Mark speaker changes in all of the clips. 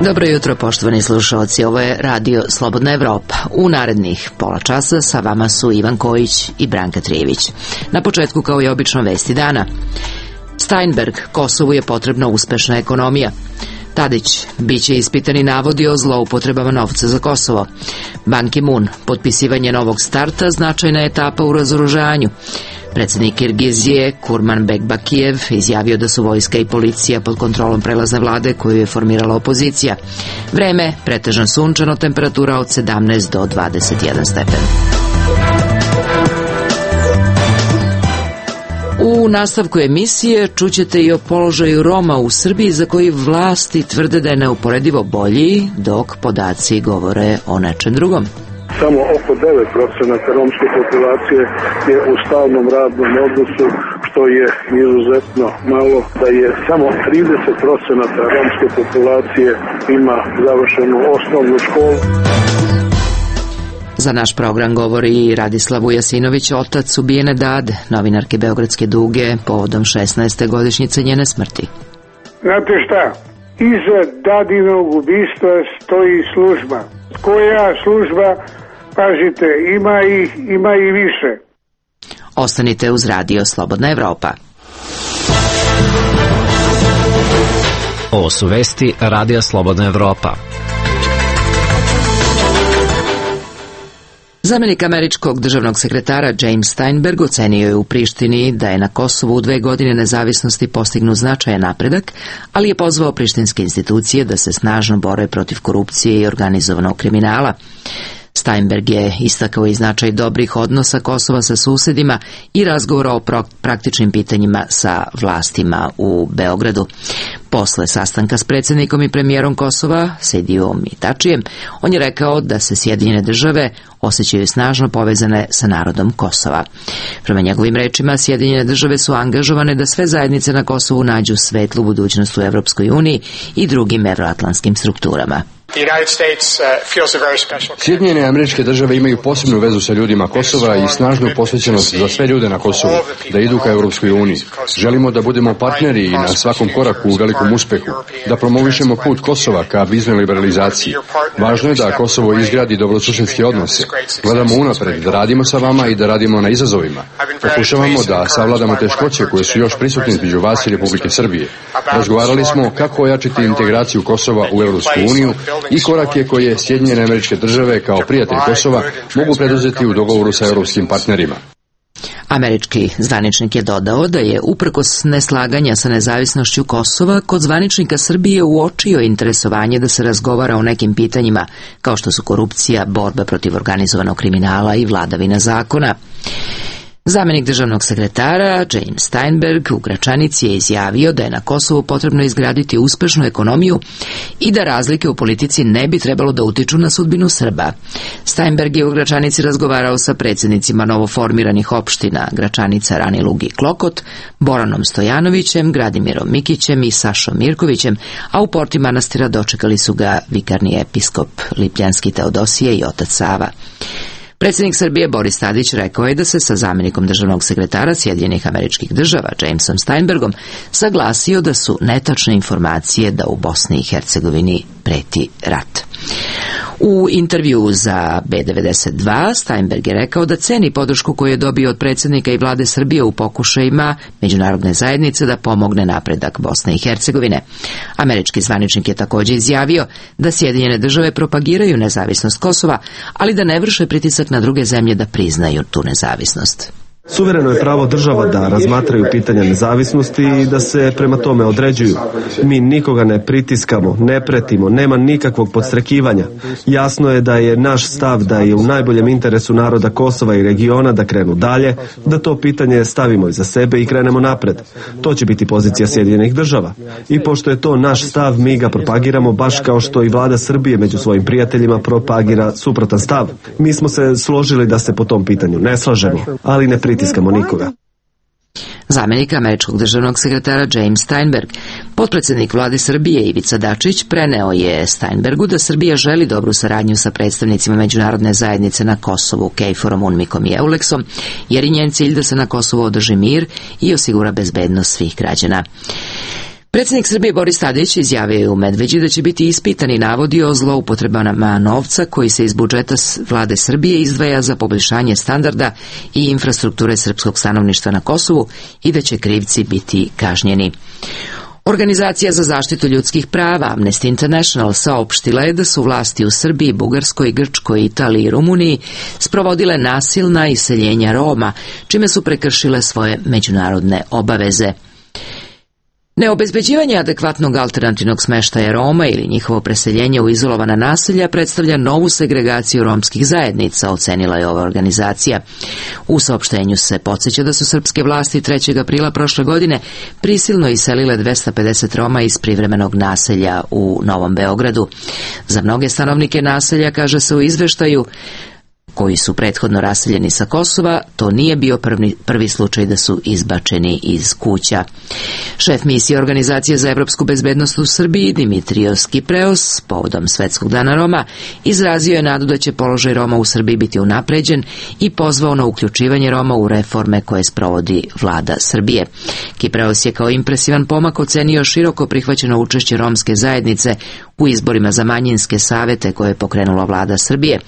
Speaker 1: Dobro jutro, poštovani slušalci, ovo je Radio Slobodna Evropa. U narednih pola časa sa vama su Ivan Kojić i Branka Trijević. Na početku, kao i obično, vesti dana. Steinberg, Kosovu je potrebna uspešna ekonomija. Tadić, biće ispitani navodi o zloupotrebama novca za Kosovo. Ban Ki-moon, potpisivanje novog starta, značajna etapa u razoružanju. Predsjednik Kirgizije Kurmanbek Bakijev izjavio da su vojska i policija pod kontrolom prelazne vlade koju je formirala opozicija. Vreme, pretežno sunčano, temperatura od 17 do 21 stepen. U nastavku emisije čućete i o položaju Roma u Srbiji, za koji vlasti tvrde da je neuporedivo bolji, dok podaci govore o nečem drugom.
Speaker 2: Samo oko 9% romske populacije je u stalnom radnom odnosu, što je izuzetno malo, da je samo 30% romske populacije ima završenu osnovnu školu.
Speaker 1: Za naš program govori Radislav Vujasinović, otac ubijene Dade, novinarke Beogradske Duge, povodom 16. godišnjice njene smrti.
Speaker 3: Znate šta? Iza Dadinog ubistva stoji služba. Koja služba? Pažite, ima i više.
Speaker 1: Ostanite uz Radio Slobodna Evropa.
Speaker 4: Ovo su vesti Radija Slobodna Evropa.
Speaker 1: Zamenik američkog državnog sekretara James Steinberg ocenio je u Prištini da je na Kosovu u 2 godine nezavisnosti postignut značajan napredak, ali je pozvao prištinske institucije da se snažno bore protiv korupcije i organizovanog kriminala. Steinberg je istakao i značaj dobrih odnosa Kosova sa susedima i razgovora o praktičnim pitanjima sa vlastima u Beogradu. Posle sastanka s predsjednikom i premijerom Kosova, Sedijom i Tačijem, on je rekao da se Sjedinjene države osjećaju snažno povezane sa narodom Kosova. Prema njegovim rečima, Sjedinjene države su angažovane da sve zajednice na Kosovu nađu svetlu budućnost u Evropskoj uniji i drugim evroatlantskim strukturama.
Speaker 5: Sjedinjene Američke Države imaju posebnu vezu sa ljudima Kosova i snažnu posvećenost za sve ljude na Kosovu da idu ka Europskoj uniji. Želimo da budemo partneri i na svakom koraku u velikom uspehu, da promovišemo put Kosova ka viznoj liberalizaciji. Važno je da Kosovo izgradi dobrosusjedske odnose. Gledamo unapred, da radimo sa vama i da radimo na izazovima. Pokušavamo da savladamo teškoće koje su još prisutne između vas i Republike Srbije. Razgovarali smo kako ojačiti integraciju Kosova u Europsku uniju i korake koje Sjedinjene Američke Države kao prijatelj Kosova mogu preduzeti u dogovoru sa europskim partnerima.
Speaker 1: Američki zvaničnik je dodao da je uprkos neslaganja sa nezavisnošću Kosova kod zvaničnika Srbije uočio interesovanje da se razgovara o nekim pitanjima kao što su korupcija, borba protiv organizovanog kriminala i vladavina zakona. Zamenik državnog sekretara James Steinberg u Gračanici je izjavio da je na Kosovu potrebno izgraditi uspešnu ekonomiju i da razlike u politici ne bi trebalo da utiču na sudbinu Srba. Steinberg je u Gračanici razgovarao sa predsjednicima novoformiranih opština Gračanica, Ranilug i Klokot, Boranom Stojanovićem, Gradimirom Mikićem i Sašom Mirkovićem, a u porti manastira dočekali su ga vikarni episkop Lipljanski Teodosije i otac Sava. Predsjednik Srbije Boris Tadić rekao je da se sa zamjenikom državnog sekretara Sjedinjenih Američkih Država Jamesom Steinbergom saglasio da su netačne informacije da u Bosni i Hercegovini preti rat. U intervju za B92 Steinberg je rekao da ceni podršku koju je dobio od predsjednika i vlade Srbije u pokušajima međunarodne zajednice da pomogne napredak Bosne i Hercegovine. Američki zvaničnik je također izjavio da Sjedinjene države propagiraju nezavisnost Kosova, ali da ne vrše pritisak na druge zemlje da priznaju tu nezavisnost.
Speaker 6: Suvereno je pravo država da razmatraju pitanja nezavisnosti i da se prema tome određuju. Mi nikoga ne pritiskamo, ne pretimo, nema nikakvog podstrekivanja. Jasno je da je naš stav da je u najboljem interesu naroda Kosova i regiona da krenu dalje, da to pitanje stavimo iza sebe i krenemo napred. To će biti pozicija Sjedinjenih država. I pošto je to naš stav, mi ga propagiramo baš kao što i vlada Srbije među svojim prijateljima propagira suprotan stav. Mi smo se složili da se po tom pitanju ne slažemo, ali ne pritiskamo nikoga.
Speaker 1: Zamjenik američkog državnog sekretara James Steinberg, potpredsjednik vlade Srbije Ivica Dačić, preneo je Steinbergu da Srbija želi dobru saradnju sa predstavnicima međunarodne zajednice na Kosovu, KFOR-om, UNMIK-om i EULEX-om, jer je njen cilj da se na Kosovu održi mir i osigura bezbednost svih građana. Predsjednik Srbije Boris Tadić izjavio je u Medveđi da će biti ispitani navodi o zloupotrebama novca koji se iz budžeta vlade Srbije izdvaja za poboljšanje standarda i infrastrukture srpskog stanovništva na Kosovu i da će krivci biti kažnjeni. Organizacija za zaštitu ljudskih prava Amnesty International saopštila je da su vlasti u Srbiji, Bugarskoj, Grčkoj, Italiji i Rumuniji sprovodile nasilna iseljenja Roma, čime su prekršile svoje međunarodne obaveze. Neobezbeđivanje adekvatnog alternativnog smeštaja Roma ili njihovo preseljenje u izolovana naselja predstavlja novu segregaciju romskih zajednica, ocenila je ova organizacija. U saopštenju se podsjeća da su srpske vlasti 3. aprila prošle godine prisilno iselile 250 Roma iz privremenog naselja u Novom Beogradu. Za mnoge stanovnike naselja, kaže se u izveštaju, koji su prethodno raseljeni sa Kosova, to nije bio prvi slučaj da su izbačeni iz kuća. Šef misije Organizacije za evropsku bezbednost u Srbiji, Dimitrios Kipreos, povodom Svetskog dana Roma, izrazio je nadu da će položaj Roma u Srbiji biti unapređen i pozvao na uključivanje Roma u reforme koje sprovodi vlada Srbije. Kipreos je kao impresivan pomak ocenio široko prihvaćeno učešće romske zajednice u izborima za manjinske savete koje je pokrenula vlada Srbije.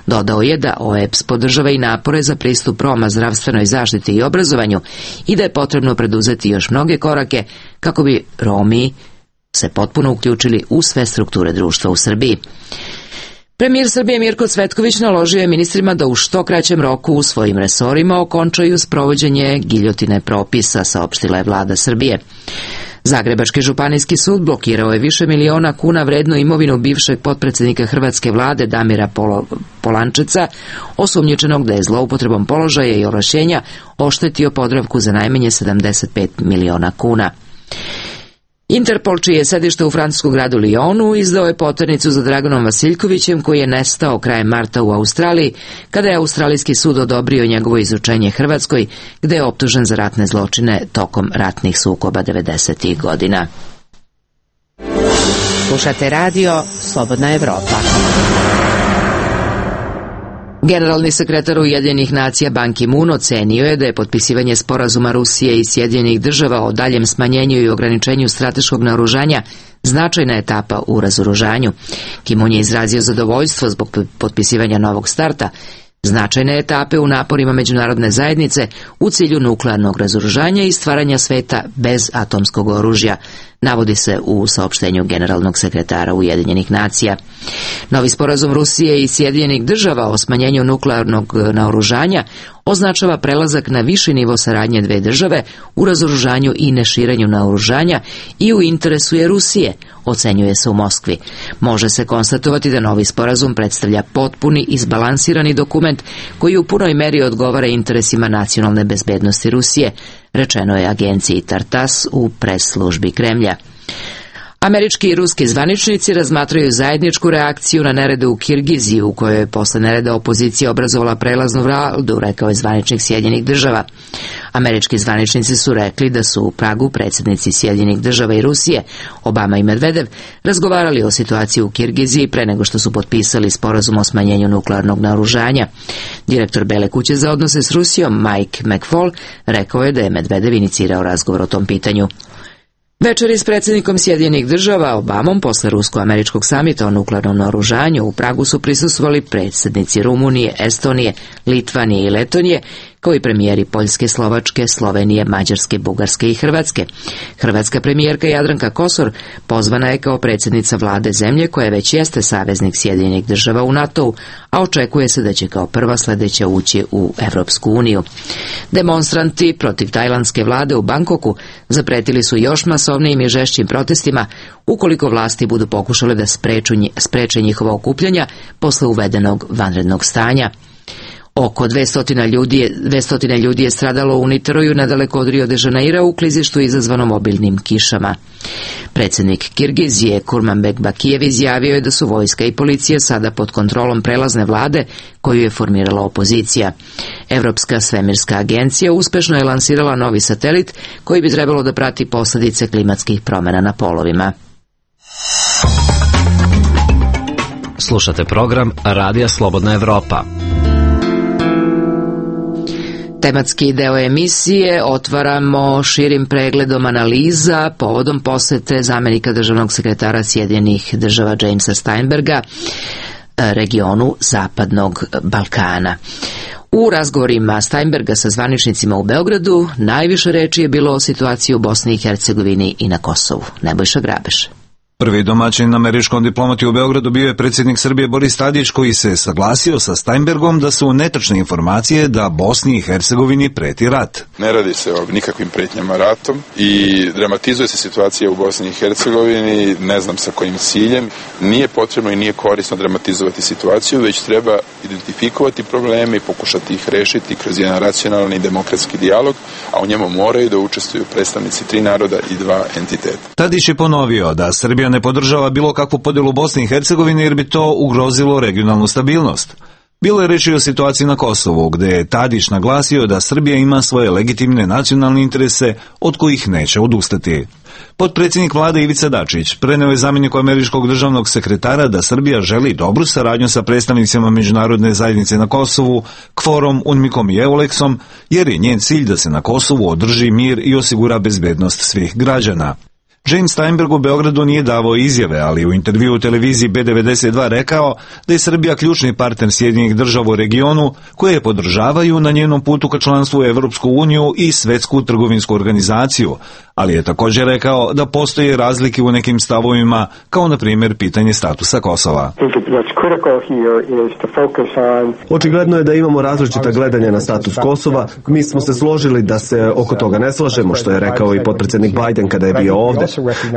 Speaker 1: Dodao je da OEBS podržava i napore za pristup Roma zdravstvenoj zaštiti i obrazovanju i da je potrebno preduzeti još mnoge korake kako bi Romi se potpuno uključili u sve strukture društva u Srbiji. Premijer Srbije Mirko Cvetković naložio je ministrima da u što kraćem roku u svojim resorima okončaju sprovođenje giljotine propisa, saopštila je vlada Srbije. Zagrebački županijski sud blokirao je više miliona kuna vrednu imovinu bivšeg potpredsjednika hrvatske vlade Damira Polančeca, osumnjičenog da je zloupotrebom položaja i ovlašćenja oštetio Podravku za najmanje 75 miliona kuna. Interpol, čije je sedište u francuskom gradu Lyonu, izdao je poternicu za Draganom Vasiljkovićem, koji je nestao krajem marta u Australiji, kada je australijski sud odobrio njegovo izučenje Hrvatskoj, gde je optužen za ratne zločine tokom ratnih sukoba 90. godina.
Speaker 7: Slušate radio Slobodna Evropa.
Speaker 1: Generalni sekretar Ujedinjenih nacija Ban Ki-moon ocenio je da je potpisivanje sporazuma Rusije i Sjedinjenih država o daljem smanjenju i ograničenju strateškog naoružanja značajna etapa u razoružanju. Ki-moon je izrazio zadovoljstvo zbog potpisivanja novog starta, značajne etape u naporima međunarodne zajednice u cilju nuklearnog razoružanja i stvaranja sveta bez atomskog oružja, navodi se u saopštenju generalnog sekretara Ujedinjenih nacija. Novi sporazum Rusije i Sjedinjenih država o smanjenju nuklearnog naoružanja označava prelazak na viši nivo saradnje dve države u razoružanju i neširenju naoružanja i u interesu je Rusije, ocenjuje se u Moskvi. Može se konstatovati da novi sporazum predstavlja potpuni izbalansirani dokument koji u punoj meri odgovara interesima nacionalne bezbednosti Rusije, rečeno je agenciji Tartas u pres službi Kremlja. Američki i ruski zvaničnici razmatraju zajedničku reakciju na nerede u Kirgiziji, u kojoj je posle nereda opozicija obrazovala prelaznu vladu, rekao je zvaničnik Sjedinjenih država. Američki zvaničnici su rekli da su u Pragu predsjednici Sjedinjenih država i Rusije, Obama i Medvedev, razgovarali o situaciji u Kirgiziji pre nego što su potpisali sporazum o smanjenju nuklearnog naoružanja. Direktor Bele kuće za odnose s Rusijom, Mike McFaul, rekao je da je Medvedev inicirao razgovor o tom pitanju. Večeri s predsjednikom Sjedinjenih država Obamom posle rusko-američkog samita o nuklearnom naoružanju u Pragu su prisustvovali predsjednici Rumunije, Estonije, Litvanije i Letonije, kao i premijeri Poljske, Slovačke, Slovenije, Mađarske, Bugarske i Hrvatske. Hrvatska premijerka Jadranka Kosor pozvana je kao predsjednica vlade zemlje koja već jeste saveznik Sjedinjenih država u NATO-u, a očekuje se da će kao prva sledeća ući u Evropsku uniju. Demonstranti protiv tajlandske vlade u Bangkoku zapretili su još masovnijim i žešćim protestima ukoliko vlasti budu pokušale da spreče njihova okupljanja posle uvedenog vanrednog stanja. Oko 200 ljudi je stradalo u Niteroju nedaleko od Rio de Janeira u klizištu izazvanom obilnim kišama. Predsjednik Kirgizije Kurmanbek Bakijev izjavio je da su vojska i policija sada pod kontrolom prelazne vlade koju je formirala opozicija. Evropska svemirska agencija uspešno je lansirala novi satelit koji bi trebalo da prati posljedice klimatskih promjena na polovima.
Speaker 4: Slušate program Radija Slobodna Evropa.
Speaker 1: Tematski deo emisije otvaramo širim pregledom analiza povodom posete zamenika državnog sekretara Sjedinjenih država Jamesa Steinberga regionu Zapadnog Balkana. U razgovorima Steinberga sa zvaničnicima u Beogradu najviše reči je bilo o situaciji u Bosni i Hercegovini i na Kosovu. Nebojša Grabeš.
Speaker 8: Prvi domaćin američkom diplomati u Beogradu bio je predsjednik Srbije Boris Tadić, koji se saglasio sa Steinbergom da su netačne informacije da Bosni i Hercegovini preti rat.
Speaker 9: Ne radi se o nikakvim pretnjama ratom i dramatizuje se situacija u Bosni i Hercegovini, ne znam sa kojim ciljem. Nije potrebno i nije korisno dramatizovati situaciju, već treba identifikovati probleme i pokušati ih rešiti kroz jedan racionalni i demokratski dijalog, a u njemu moraju da učestvuju predstavnici 3 naroda i 2 entiteta.
Speaker 8: Tadić je ponovio da Srbija ne podržava bilo kakvu podjelu Bosne i Hercegovine jer bi to ugrozilo regionalnu stabilnost. Bilo je reči o situaciji na Kosovu, gde je Tadić naglasio da Srbija ima svoje legitimne nacionalne interese od kojih neće odustati. Potpredsjednik vlade Ivica Dačić preneo je zamjeniku američkog državnog sekretara da Srbija želi dobru saradnju sa predstavnicima međunarodne zajednice na Kosovu, KFOR-om, UNMIK-om i EULEX-om, jer je njen cilj da se na Kosovu održi mir i osigura bezbednost svih građana. James Steinberg u Beogradu nije davao izjave, ali u intervjuu u televiziji B92 rekao da je Srbija ključni partner Sjedinjenih država u regionu, koje je podržavaju na njenom putu ka članstvu u Evropsku uniju i Svetsku trgovinsku organizaciju, ali je također rekao da postoje razlike u nekim stavovima, kao na primjer pitanje statusa Kosova.
Speaker 6: Očigledno je da imamo različita gledanja na status Kosova. Mi smo se složili da se oko toga ne slažemo, što je rekao i potpredsjednik Biden kada je bio ovde.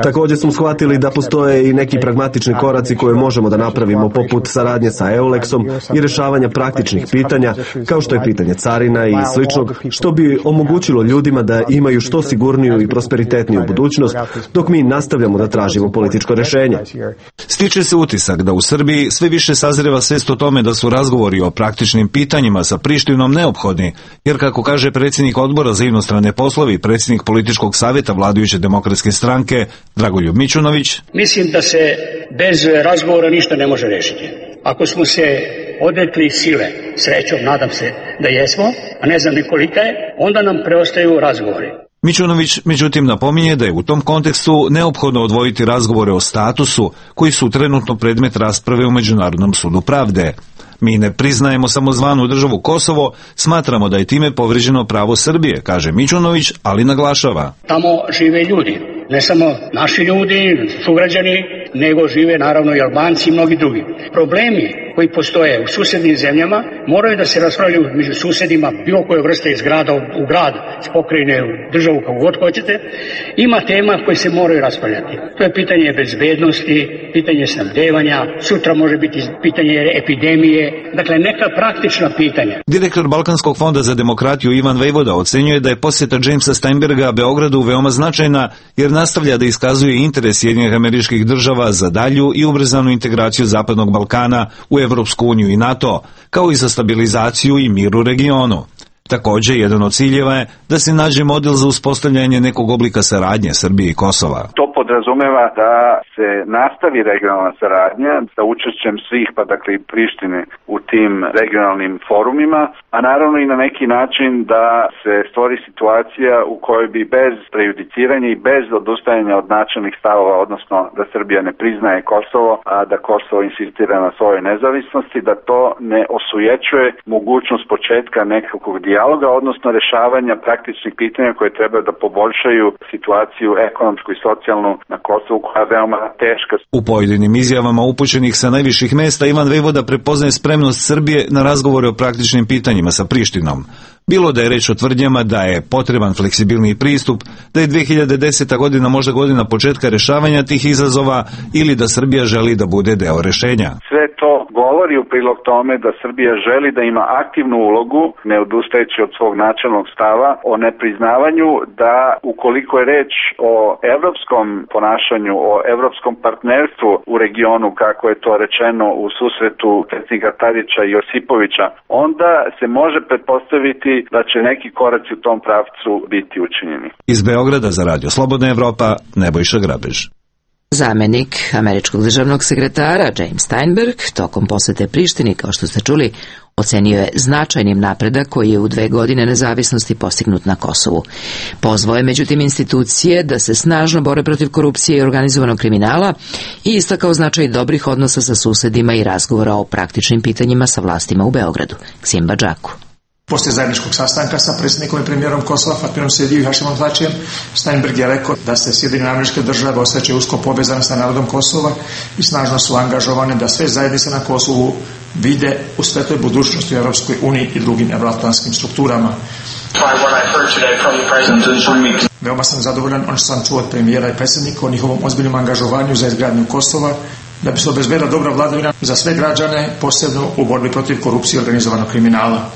Speaker 6: Također smo shvatili da postoje i neki pragmatični koraci koje možemo da napravimo, poput saradnje sa EULEX-om i rešavanja praktičnih pitanja, kao što je pitanje carina i sličnog, što bi omogućilo ljudima da imaju što sigurniju i prosperitetniju budućnost, dok mi nastavljamo da tražimo političko rešenje.
Speaker 8: Stiče se utisak da u Srbiji sve više sazreva svest o tome da su razgovori o praktičnim pitanjima sa Prištinom neophodni, jer kako kaže predsjednik odbora za inostrane poslove i predsjednik političkog savjeta vladajuće demokratske stranke Dragoljub Mićunović.
Speaker 10: Mislim da se bez razgovora ništa ne može rešiti. Ako smo se odrekli sile, srećom, nadam se da jesmo, a ne znam ni kolika je, onda nam preostaju razgovori.
Speaker 8: Mićunović međutim napominje da je u tom kontekstu neophodno odvojiti razgovore o statusu, koji su trenutno predmet rasprave u Međunarodnom sudu pravde. Mi ne priznajemo samozvanu državu Kosovo, smatramo da je time povrijeđeno pravo Srbije, kaže Mićunović, ali naglašava.
Speaker 10: Tamo žive ljudi, ne samo naši ljudi, sugrađani, nego žive naravno i Albanci i mnogi drugi. Problemi koji postoje u susednim zemljama moraju da se raspravljaju među susedima, bilo koje vrste iz grada u grad, iz pokrajine, u državu, kako god hoćete. Ima tema koje se moraju raspravljati. To je pitanje bezbednosti, pitanje snabdevanja, sutra može biti pitanje epidemije, dakle neka praktična pitanja.
Speaker 8: Direktor Balkanskog fonda za demokratiju Ivan Vejvoda ocenjuje da je posjeta Jamesa Steinberga Beogradu veoma značajna, jer nastavlja da iskazuje interes Sjedinjenih Američkih Država za dalju i ubrzanu integraciju Zapadnog Balkana u Evropsku uniju i NATO, kao i za stabilizaciju i mir u regionu. Također, jedan od ciljeva je da se nađe model za uspostavljanje nekog oblika saradnje Srbije i Kosova.
Speaker 11: To podrazumeva da se nastavi regionalna saradnja sa učešćem svih, pa dakle i Prištine u tim regionalnim forumima, a naravno i na neki način da se stvori situacija u kojoj bi bez prejudiciranja i bez odustajanja od načelnih stavova, odnosno da Srbija ne priznaje Kosovo, a da Kosovo insistira na svojoj nezavisnosti, da to ne osujećuje mogućnost početka nekakvog dijaloga, odnosno rešavanja praktičnih pitanja koje treba da poboljšaju situaciju ekonomsku i socijalnu na Kosovu, koja je veoma teška.
Speaker 8: U pojedinim izjavama upućenih sa najviših mesta Ivan Vejvoda prepoznaje spremnost Srbije na razgovore o praktičnim pitanjima sa Prištinom. Bilo da je reč o tvrdnjama da je potreban fleksibilniji pristup, da je 2010. godina možda godina početka rešavanja tih izazova ili da Srbija želi da bude deo rešenja.
Speaker 11: Sve to govori u prilog tome da Srbija želi da ima aktivnu ulogu, ne odustajući od svog načelnog stava o nepriznavanju, da ukoliko je reč o evropskom ponašanju, o evropskom partnerstvu u regionu, kako je to rečeno u susretu predsjednika Tadića i Josipovića, onda se može pretpostaviti da će neki koraci u tom pravcu biti učinjeni.
Speaker 8: Iz Beograda za Radio Slobodna Evropa, Nebojša Grabež.
Speaker 1: Zamenik američkog državnog sekretara James Steinberg tokom posete Prištini, kao što ste čuli, ocenio je značajnim napredak koji je u 2 godine nezavisnosti postignut na Kosovu. Pozvao je međutim institucije da se snažno bore protiv korupcije i organizovanog kriminala i istakao značaj dobrih odnosa sa susedima i razgovora o praktičnim pitanjima sa vlastima u Beogradu. Ksim Badžaku.
Speaker 12: Poslije zajedničkog sastanka sa predsjednikom i premijerom Kosova Fatmirom Sedijem i Hašimom Tačijem, Steinberg je rekao da se Sjedinjene Američke Države osjećaju usko povezane sa narodom Kosova i snažno su angažovane da sve zajednice na Kosovu vide u svetloj budućnosti u Europskoj uniji i drugim evroatlantskim strukturama. Veoma sam zadovoljan ono što sam čuo od premijera i predsjednika o njihovom ozbiljnom angažovanju za izgradnju Kosova, da bi se obezbedila dobra vladavina za sve građane, posebno u borbi protiv korupcije i organizovanog kriminala.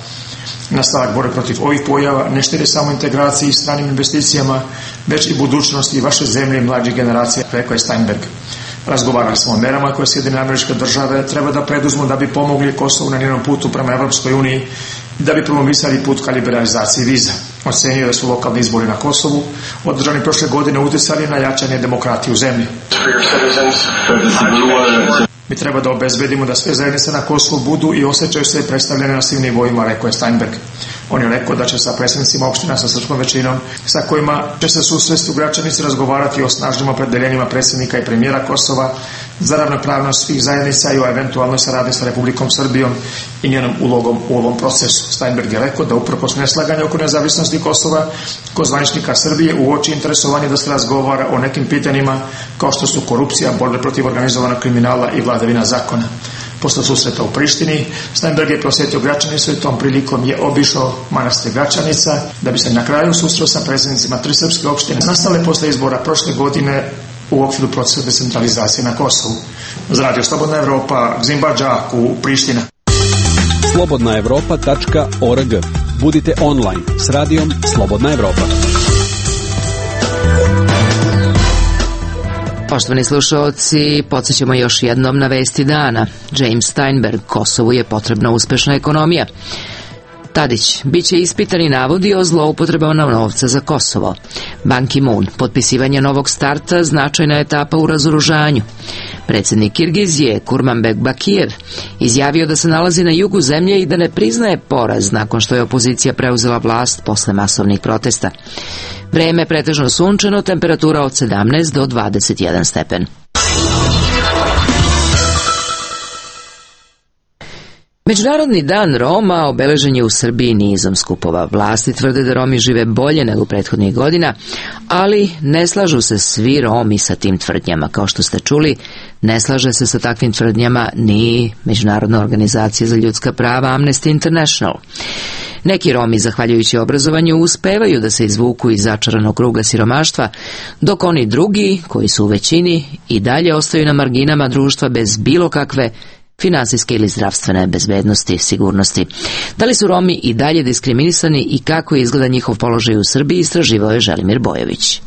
Speaker 12: Nastavak borbe protiv ovih pojava ne štedi samo integraciji i stranim investicijama, već i budućnosti vaše zemlje i mlađih generacija, rekao je Steinberg. Razgovarali smo o merama koje Sjedinjene Američke Države treba da preduzmu da bi pomogli Kosovu na njenom putu prema Evropskoj uniji i da bi promovisali put ka liberalizaciji viza. Ocenio da su lokalni izbori na Kosovu održani prošle godine utjecali na jačanje demokratije u zemlji. Mi treba da obezbedimo da sve zajednice na Kosovu budu i osjećaju se predstavljene na svim nivoima, rekao je Steinberg. On je rekao da će sa predsjednicima opština sa srpskom većinom, sa kojima će se susresti građanici razgovarati o snažnim opredeljenjima predsjednika i premijera Kosova za ravnopravnost svih zajednica i o eventualnoj saradnji sa Republikom Srbijom i njenom ulogom u ovom procesu. Steinberg je rekao da uprkos neslaganja oko nezavisnosti Kosova, kod zvaničnika Srbije uoči interesovanje da se razgovara o nekim pitanjima kao što su korupcija, borbe protiv organizovanog kriminala i vladavina zakona. Posle susreta u Prištini, Steinberg je posjetio Gračanicu i tom prilikom je obišao manastir Gračanica da bi se na kraju susreo sa predsjednicima 3 srpske opštine nastale posle izbora prošle godine u okviru procesa decentralizacije na Kosovu. Za Radio Slobodna Evropa, Ksim Badžaku, Priština.
Speaker 13: slobodnaevropa.org. Budite online s radijom Slobodna Evropa.
Speaker 1: Poštovani slušalci, podsjećamo još jednom na vesti dana. James Steinberg, Kosovu je potrebna uspešna ekonomija. Tadić, biće ispitani navodi o zloupotrebama novca za Kosovo. Ban Ki-moon, potpisivanje novog starta, značajna etapa u razoružanju. Predsjednik Kirgizije, Kurmanbek Bakijev, izjavio da se nalazi na jugu zemlje i da ne priznaje poraz nakon što je opozicija preuzela vlast posle masovnih protesta. Vreme pretežno sunčano, temperatura od 17 do 21 stepen. Međunarodni dan Roma obeležen je u Srbiji nizom skupova. Vlasti tvrde da Romi žive bolje nego prethodnih godina, ali ne slažu se svi Romi sa tim tvrdnjama. Kao što ste čuli, ne slaže se sa takvim tvrdnjama ni Međunarodna organizacija za ljudska prava Amnesty International. Neki Romi, zahvaljujući obrazovanju, uspevaju da se izvuku iz začaranog kruga siromaštva, dok oni drugi, koji su u većini, i dalje ostaju na marginama društva bez bilo kakve finansijske ili zdravstvene bezbednosti, sigurnosti. Da li su Romi i dalje diskriminisani i kako izgleda njihov položaj u Srbiji, istraživao je Želimir Bojović.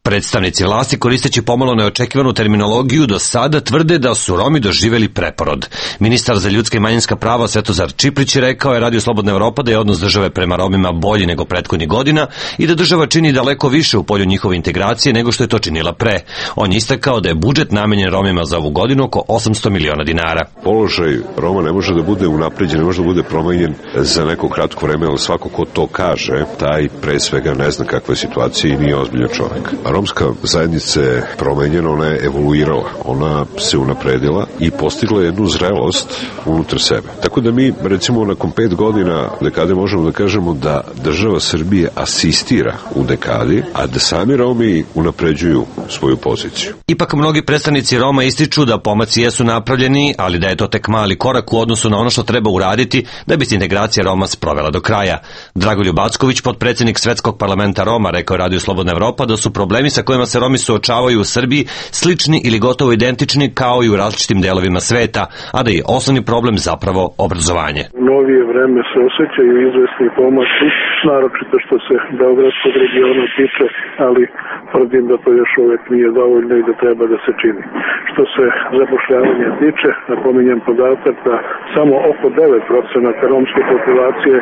Speaker 14: Predstavnici vlasti, koristeći pomalo neočekivanu terminologiju, do sada tvrde da su Romi doživjeli preporod. Ministar za ljudska i manjinska prava Svetozar Čiplić rekao je Radio Slobodna Evropa da je odnos države prema Romima bolji nego prethodnih godina i da država čini daleko više u polju njihove integracije nego što je to činila pre. On je istakao da je budžet namenjen Romima za ovu godinu oko 800 miliona dinara.
Speaker 15: Položaj Roma ne može da bude unapređen, ne može da bude promenjen za neko kratko vreme, ali svako ko to kaže, taj pre svega ne zna kakva je situacija i nije ozbiljan čovjek. Romska zajednica je promenjena, ona je evoluirala, ona se unapredila i postigla jednu zrelost unutar sebe. Tako da mi, recimo, nakon 5 godina dekade možemo da kažemo da država Srbije asistira u dekadi, a da sami Romi unapređuju svoju poziciju.
Speaker 14: Ipak mnogi predstavnici Roma ističu da pomaci jesu napravljeni, ali da je to tek mali korak u odnosu na ono što treba uraditi da bi se integracija Roma sprovela do kraja. Dragoljub Acković, potpredsjednik Svetskog parlamenta Roma, rekao je Radio Slobodna Evropa da su problemi sa kojima se Romi suočavaju u Srbiji slični ili gotovo identični kao i u različitim delovima sveta, a da je osnovni problem zapravo obrazovanje.
Speaker 2: U novije vreme se osjećaju izvesni pomaci, naročito što se beogradskog regiona tiče, ali tvrdim da to još uvek nije dovoljno i da treba da se čini. Što se zapošljavanja tiče, napominjem podatak da samo oko 9% romske populacije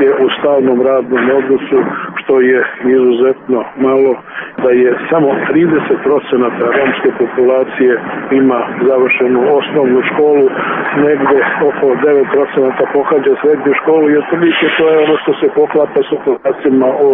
Speaker 2: je u stalnom radnom odnosu, što je izuzetno malo, da je samo 30% romske populacije ima završenu osnovnu školu, negde oko 9% pohađa srednju školu i otprilike to je ono što se poklapa sa podacima o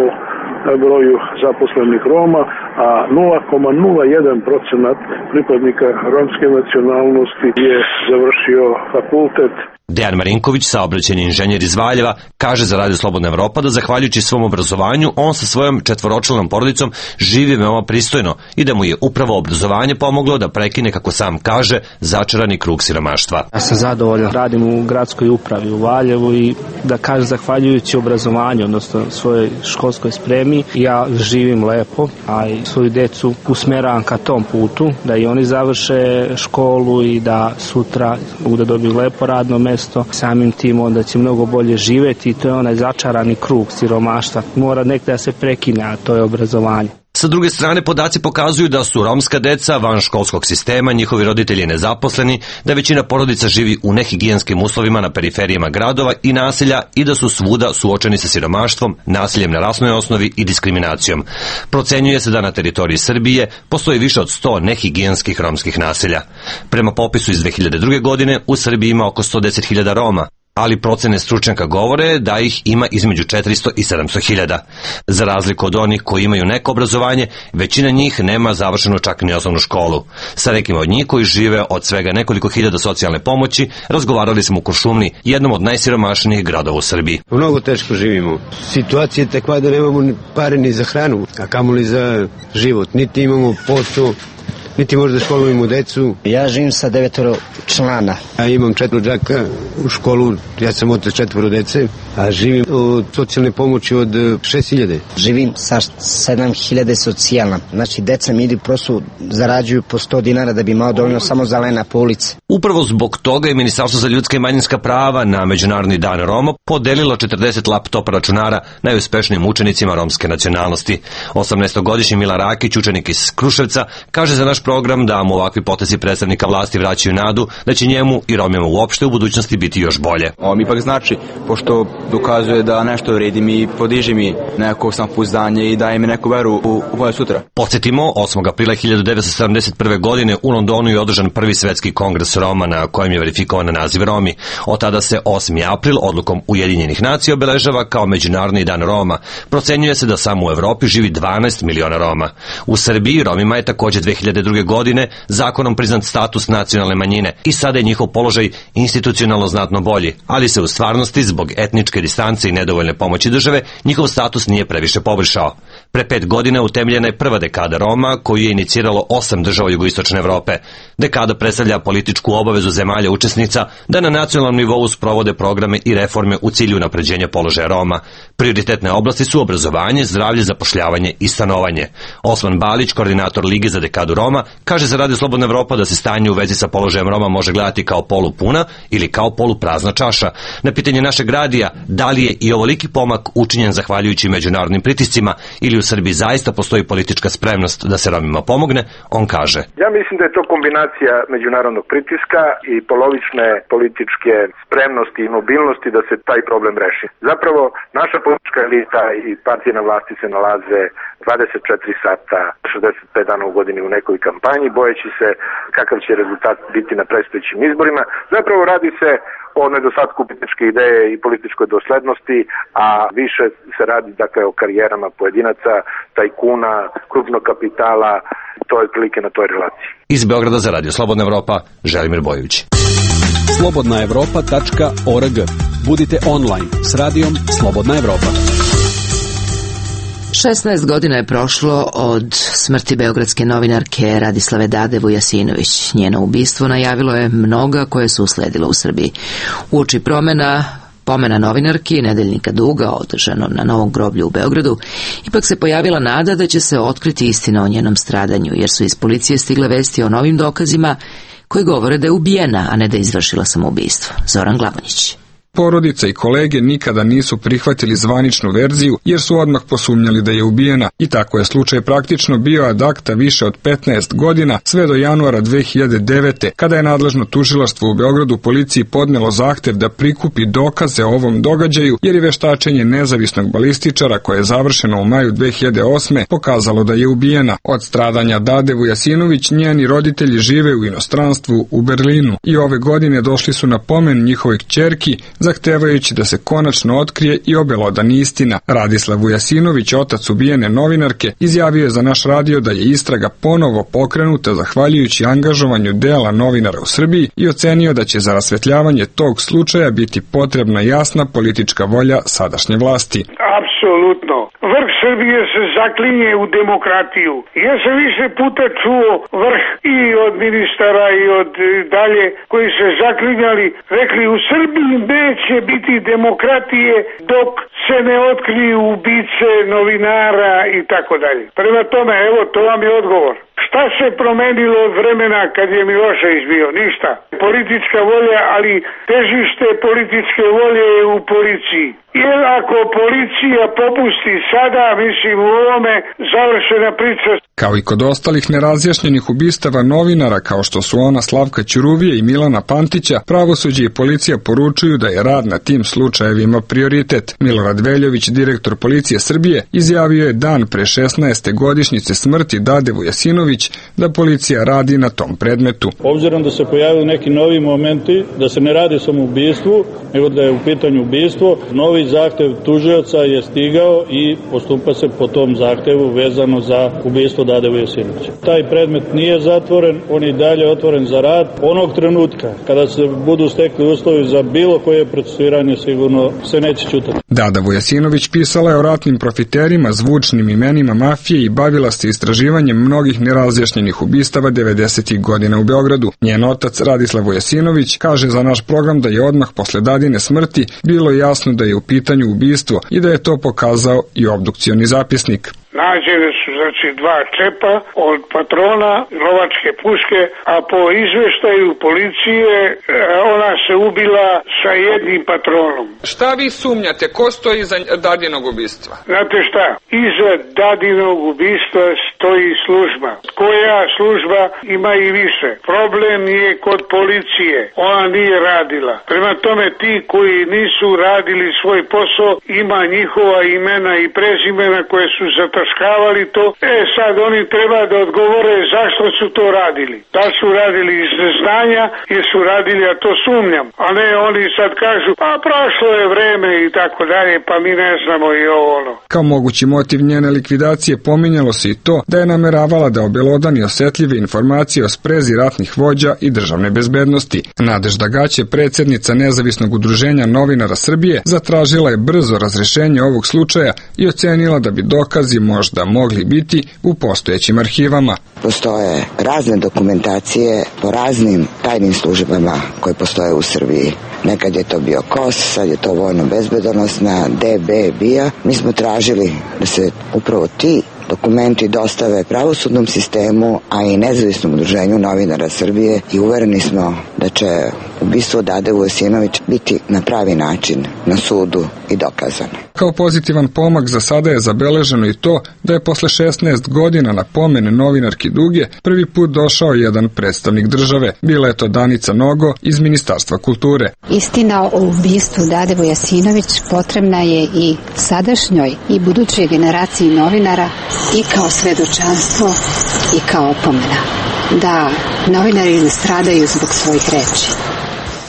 Speaker 2: broju zaposlenih Roma, a 0,01% pripadnika romske nacionalnosti je završio fakultet.
Speaker 14: Dejan Marinković, saobraćajni inženjer iz Valjeva, kaže za Radio Slobodna Evropa da zahvaljujući svom obrazovanju on sa svojom četvoročlanom porodicom živi veoma pristojno i da mu je upravo obrazovanje pomoglo da prekine, kako sam kaže, začarani krug siromaštva.
Speaker 16: Ja sam zadovoljan, radim u gradskoj upravi u Valjevu i da kažem zahvaljujući obrazovanju, odnosno svojoj školskoj spremi, ja živim lepo, a i svoju decu usmeravam ka tom putu, da i oni završe školu i da sutra mogu da dobiju lepo radno mesto. Samim tim onda će mnogo bolje živeti i to je onaj začarani krug siromaštva. Mora nekada da se prekine, a to je obrazovanje.
Speaker 14: Sa druge strane, podaci pokazuju da su romska deca van školskog sistema, njihovi roditelji nezaposleni, da većina porodica živi u nehigijenskim uslovima na periferijama gradova i naselja i da su svuda suočeni sa siromaštvom, nasiljem na rasnoj osnovi i diskriminacijom. Procenjuje se da na teritoriji Srbije postoji više od 100 nehigijenskih romskih naselja. Prema popisu iz 2002. godine u Srbiji ima oko 110.000 Roma, ali procene stručnjaka govore da ih ima između 400 i 700.000. Za razliku od onih koji imaju neko obrazovanje, većina njih nema završenu čak ni osnovnu školu. Sa nekima od njih koji žive od svega nekoliko hiljada socijalne pomoći, razgovarali smo u Kuršumliji, jednom od najsiromašnijih gradova u Srbiji.
Speaker 17: Mnogo teško živimo. Situacija je takva da nemamo pare ni za hranu, a kamoli za život. Niti imamo posao, niti možda školujemo decu.
Speaker 18: Ja živim sa 9 člana.
Speaker 17: Ja imam 4 đaka u školu, ja sam otac 4 dece, a živim od socijalne pomoći od 6.000.
Speaker 18: Živim sa 7.000 socijalna. Znači, deca mi idu prosto zarađuju po 100 dinara da bi imao dovoljno samo za lena po ulici.
Speaker 14: Upravo zbog toga je Ministarstvo za ljudska i manjinska prava na Međunarodni dan Roma podelilo 40 laptopa računara najuspešnijim učenicima romske nacionalnosti. 18-godišnji Milan Rakić, učenik iz Kruševca, kaže za naš program da mu ovakvi potezi predstavnika vlasti vraćaju nadu da će njemu i Romima uopšte u budućnosti biti još bolje.
Speaker 19: Ovo mi ipak znači, pošto dokazuje da nešto vredi mi, podiže mi neko samopouzdanje i daje mi neku veru u moje sutra.
Speaker 14: Podsjetimo, 8. aprila 1971. godine u Londonu je održan prvi svetski kongres Roma na kojem je verifikovan naziv Romi. Od tada se 8. april odlukom Ujedinjenih nacija obeležava kao Međunarodni dan Roma. Procenjuje se da samo u Evropi živi 12 miliona Roma. U Srbiji Romima je takođe 2002. godine zakonom priznat status nacionalne manjine i sada je njihov položaj institucionalno znatno bolji, ali se u stvarnosti zbog etničke distance i nedovoljne pomoći države njihov status nije previše poboljšao. Pre 5 godina utemeljena je prva dekada Roma koju je iniciralo 8 država jugoistočne Evrope. Dekada predstavlja političku obavezu zemalja učesnica da na nacionalnom nivou sprovode programe i reforme u cilju unapređenja položaja Roma. Prioritetne oblasti su obrazovanje, zdravlje, zapošljavanje i stanovanje. Osman Balić, koordinator Lige za dekadu Roma, kaže za Radio Slobodna Evropa da se stanje u vezi sa položajem Roma može gledati kao polupuna ili kao poluprazna čaša. Na pitanje našeg radija da li je i ovoliki pomak učinjen zahvaljujući međunarodnim pritiscima ili u Srbiji zaista postoji politička spremnost da se Romima pomogne, on kaže.
Speaker 20: Ja mislim da je to kombinacija međunarodnog pritiska i polovične političke spremnosti i mobilnosti da se taj problem reši. Zapravo, naša politička elita i partije na vlasti se nalaze 24 sata, 65 dana u godini u nekoj kampanji, bojeći se kakav će rezultat biti na predstojećim izborima. Zapravo radi se o nedostatku političke ideje i političkoj doslednosti, a više se radi dakle o karijerama pojedinaca, tajkuna, krupnog kapitala, to je prilike na toj relaciji.
Speaker 14: Iz Beograda za Radio Slobodna Evropa, Želimir Bojović.
Speaker 13: slobodnaevropa.org. Budite online s radijom Slobodna Evropa.
Speaker 1: 16 godina je prošlo od smrti beogradske novinarke Radislave Dade Vujasinović. Njeno ubistvo najavilo je mnoga koje su usledila u Srbiji. Uoči pomena novinarki Nedeljnika Duga, održano na Novom groblju u Beogradu, ipak se pojavila nada da će se otkriti istina o njenom stradanju, jer su iz policije stigle vesti o novim dokazima koji govore da je ubijena, a ne da je izvršila samoubistvo. Zoran Glavonjić.
Speaker 21: Porodica i kolege nikada nisu prihvatili zvaničnu verziju jer su odmah posumnjali da je ubijena i tako je slučaj praktično bio ad acta više od 15 godina sve do januara 2009. kada je nadležno tužilaštvo u Beogradu policiji podnelo zahtev da prikupi dokaze o ovom događaju jer je veštačenje nezavisnog balističara koje je završeno u maju 2008. pokazalo da je ubijena. Od stradanja Dade Vujasinović njeni roditelji žive u inostranstvu u Berlinu i ove godine došli su na pomen njihove kćerki zahtevajući da se konačno otkrije i obelodani istina. Radislav Vujasinović, otac ubijene novinarke, izjavio je za naš radio da je istraga ponovo pokrenuta zahvaljujući angažovanju dela novinara u Srbiji i ocenio da će za rasvetljavanje tog slučaja biti potrebna jasna politička volja sadašnje vlasti.
Speaker 3: Apsolutno. Vrh Srbije se zaklinje u demokratiju. Ja sam više puta čuo vrh i od ministara i od dalje koji se zaklinjali, rekli u Srbiji neće biti demokratije dok se ne otkriju ubice novinara i tako dalje. Prema tome, evo, to vam je odgovor. Šta se promenilo od vremena kad je Milošević bio? Ništa. Politička volja, ali težište političke volje je u policiji. Jer ako policija popusti sada, mislim u ovome, završena priča.
Speaker 21: Kao i kod ostalih nerazjašnjenih ubistava novinara kao što su ona Slavka Ćuruvije i Milana Pantića, pravosuđe i policija poručuju da je rad na tim slučajevima prioritet. Milorad Veljović, direktor policije Srbije, izjavio je dan pre 16. godišnjice smrti Dade Vujasinović da policija radi na tom predmetu.
Speaker 22: Obzirom da se pojavili neki novi momenti, da se ne radi samo o ubistvu, nego da je u pitanju ubistvo, novi zahtev tužioca je stigao i postupa se po tom zahtevu vezano za ubistvo Dade Vujasinovića. Taj predmet nije zatvoren, on je i dalje otvoren za rad. Onog trenutka kada se budu stekli uslovi za bilo koje procesuiranje, sigurno se neće ćutati.
Speaker 21: Dada Vujasinović pisala je o ratnim profiterima, zvučnim imenima mafije i bavila se istraživanjem mnogih nerazjašnjenih ubistava 90. godina u Beogradu. Njen otac Radislav Vujasinović kaže za naš program da je odmah posle Dadine smrti bilo jasno da je u pitanju ubistvo i da je to pokazao i obdukcioni zapisnik.
Speaker 3: Nađene su znači dva čepa od patrona lovačke puške, a po izveštaju policije ona se ubila sa jednim patronom.
Speaker 23: Šta vi sumnjate? Ko stoji iza Dadinog ubistva?
Speaker 3: Znate šta? Iza Dadinog ubistva stoji služba. Koja služba ima i više. Problem je kod policije. Ona nije radila. Prema tome ti koji nisu radili svoj posao, ima njihova imena i prezimena koje su zataškavali to. Sad oni treba da odgovore zašto su to radili. Da su radili iz neznanja, jer su radili, a to sumnjam. A ne oni sad kažu, pa prošlo je vreme i tako dalje, pa mi ne znamo i ovo ono.
Speaker 21: Kao mogući motiv njene likvidacije pominjalo se i to da je nameravala da obelodani osetljive informacije o sprezi ratnih vođa i državne bezbednosti. Nadežda Gaće, predsjednica Nezavisnog udruženja novinara Srbije, zatražila je brzo razrešenje ovog slučaja i ocenila da bi dokazi možda mogli biti u postojećim arhivama.
Speaker 24: Postoje razne dokumentacije po raznim tajnim službama koje postoje u Srbiji. Nekad je to bio KOS, sad je to vojno-bezbedonosna, DB, BIA. Mi smo tražili da se upravo ti dokumenti dostave pravosudnom sistemu, a i Nezavisnom udruženju novinara Srbije i uvereni smo da će ubistvo Dade Vujasinović biti na pravi način na sudu i dokazano.
Speaker 21: Kao pozitivan pomak za sada je zabeleženo i to da je posle 16 godina na pomen novinarki Duge prvi put došao jedan predstavnik države. Bila je to Danica Nogo iz Ministarstva kulture.
Speaker 25: Istina o ubistvu Dade Vujasinović potrebna je i sadašnjoj i budućoj generaciji novinara i kao svedočanstvo i kao opomena da novinari ne stradaju zbog svojih reči.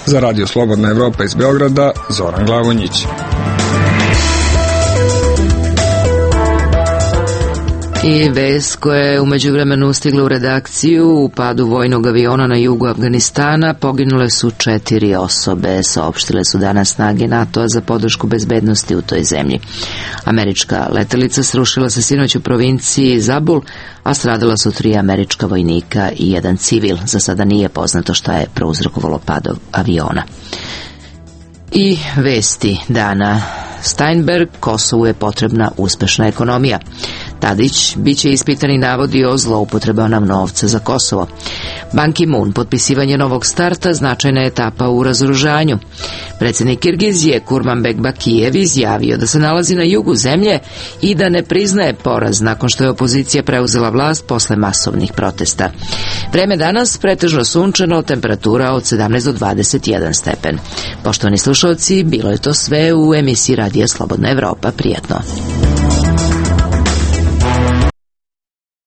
Speaker 21: Za Radio Slobodna Evropa iz Beograda, Zoran Glavonjić.
Speaker 1: I vest koja je u međuvremenu stigla u redakciju: u padu vojnog aviona na jugu Afganistana poginule su 4 osobe, saopštile su danas snage NATO-a za podršku bezbednosti u toj zemlji. Američka letelica srušila se sinoć u provinciji Zabul, a stradala su 3 američka vojnika i 1 civil. Za sada nije poznato šta je prouzrokovalo pad aviona. I vesti dana: Steinberg, Kosovu je potrebna uspešna ekonomija. Tadić biće ispitani navodi o zloupotrebama novca za Kosovo. Ban Ki-moon, potpisivanje novog starta značajna etapa u razoružanju. Predsjednik Kirgizije Kurmanbek Bakijev izjavio da se nalazi na jugu zemlje i da ne priznaje poraz nakon što je opozicija preuzela vlast posle masovnih protesta. Vreme danas pretežno sunčano, temperatura od 17 do 21 stepen. Poštovani slušalci, bilo je to sve u emisiji Radija Slobodna Evropa. Prijatno.